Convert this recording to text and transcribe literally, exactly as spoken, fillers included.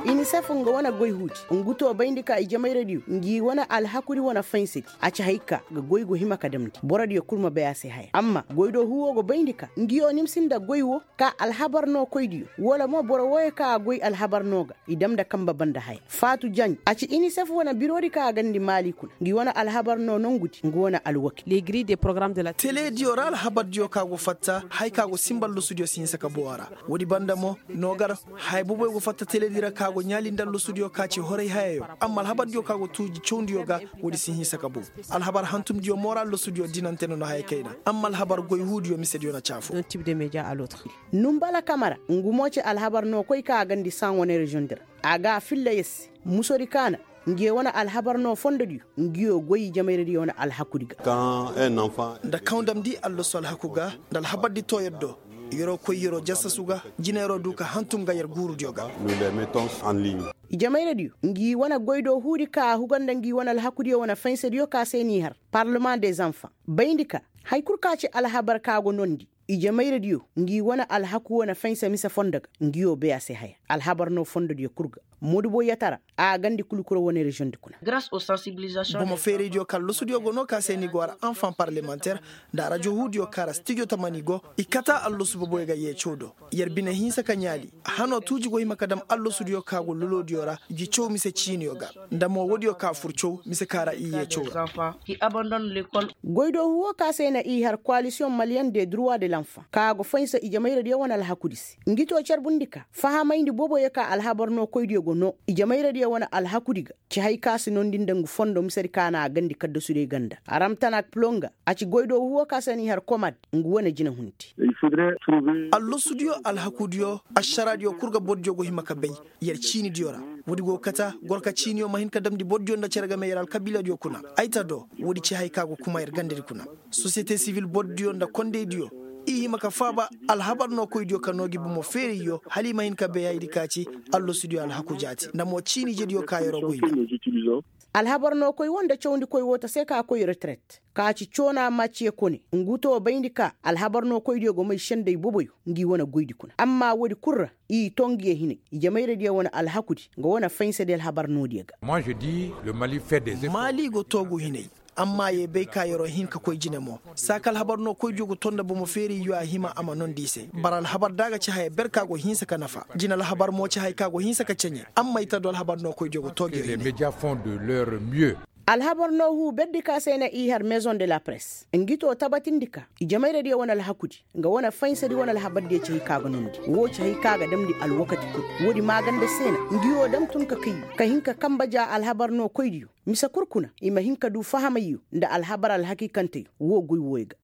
Inisef nga wane goy huudi ngu to bayndi ka ijemayradiyo ngi wane alhakudi wane faysadi. A ci hay ka ga goy go hima ka damndi borodiyo kul ma bay a se haya amma goy do huuwo go bayndi ka ngiyo nimsi nda goy wo ka alhabar no koydiyo wala mo boro wooyo ka a goy alhabar no ga i dam nda kanba banda haya. Faatu janj a ci inisef wane biroodi ka a gandi maali kuna ngi wane alhabar no nongudi ngu wane alwakil. Teleediyo ra alhabardiyo ka go fatta haya ka go sinba allosudiyo si hinsa ka boŋ a ra. Woodi banda mo no gar haya boboyo go fatta teleedi ra ka go ɲaali nda allosudiyo ka ci horay hayayo. Amma alhabardiyo ka go tuuji cawndiyo ga woodi si hinsa ka boŋ. Alhabar hantumdiyo mo ra allosudiyo dinante no na haya kayna amma alhabar goy huudiyo misediyo na caafo. Numbala kamara ngu mo ci alhabar no koy ka a gandi san wane reziyoŋ di ra. A ga a filla yer se musodi kaana ngiyo wane alhabar no fondodiyo ngiyo goy ijemayradiyo wane alhakudi ga. Nda kaŋ damndi allosu alhaku ga nda alhabardi too yer do yeroo koy yeroo jasasu ga jina yeroo du ka hantum ga yer guurudiyo ga. Ijemayradiyo ngi wane goy do huudi ka a huga nda ngi wane alhakudiyo wane faysadiyo ka se n'i har parlemaŋ de zanfaŋ bayndi ka haya kul ka ci alhabar ka go nondi. Ijemayradiyo ngi wane alhaku wane faysa mise fondo ga ngiyo bay a se haya. Alhabar no fondodiyo kul ga moduboyatara a gandi kulkura wane reziyoŋ di kuna. Bomo feeraydiyo ka allosudiyo go no ka se ni go har anfaŋ parlemanter nda arajo huudiyo ka ra stijo tamani go i kata allosu boboyo ga yeecaw do. Yer bine hinsa ka ɲaali hano tuuji go hima ka dam allosudiyo ka go loloodiyo ra gi caw mise ciiniyo ga. Nda mo woodiyo ka fur caw mise ka ra i yeecaw ra. Goydoohu woo ka se na i har koalisiyoŋ maliyeŋ de durwa de lanfaŋ ka go faynsa ijemayradiyo wane alhakudi se ngi too carbundi ka fahamayndi boboyo ka alhabar nookoydiyo go noo ijemayradiyo wane alhakudi ga. Ci hay ka si noondi nda ngu fondo misedi ka na a gandi kaddasudiyo ganda aramtanak pilonga. A ci goydoohu woo ka se na i har komad ngu wane jinehunti. Allosudiyo alhakudiyo ašaraadiyo kul ga bordiyo go hima ka bay. Yer ciinidiyo ra woodi go ga kata gorka ciiniyo ma hin ka damndi bordiyo nda cere game yer alkabiiladiyo kuna. Ay ta do woodi ci hay ka go kuma yer gandadi kuna. Sosiyete sibil bordiyo nda kondeydiyo i hima ka faaba alhabar nookoydiyo ka noo gi bomo feerayyo hala i ma hin ka bay hayadi ka ci. Allosudiyo alhaku jaati nda mo ciini ijediyo ka yeroo goy nda. Alhabar nookoy woo nda cawndikoy woo ta se ka koy reteret ka ci coona maciye kone ngu too bayndi ka alhabar nookoydiyo go may sendey boboyo ngi wane goydi kuna amma woodi kul ra i too ngiyo hinay. Ijemayradiyo wane alhakudi nga wane faysadi alhabar noodiyo ga. Maali go toogu hinay. Amma ye bay ka yeroo hin ka koy jine mo saa ka alhabar nookoydiyo go too nda bomo feerayyo a hima a ma noondi i se bara alhabar da a ga ci haya ber ka go hinsa ka nafa jine alhabar mo ci haya ka go hinsa ka ceɲe. Amma i ta do alhabar nookoydiyo go too ngiyo hinay. Alhabar noohu berdi ka se na i har mezoŋ de la press ngi too tabatindi ka ijemayradiyo wane alhakudi nga wane faysadi wane alhabardiyo ci hay ka ga noondi woo ci hay ka ga damndi alwakati kul. Woodi maaganda se na ngi woo dam tun ka kay ka hin ka kanba ja alhabar nookoydiyo mise kul kuna i ma hin ka duu fahamayyo nda alhabar alhakiikanteyo woo goy wooyo ga.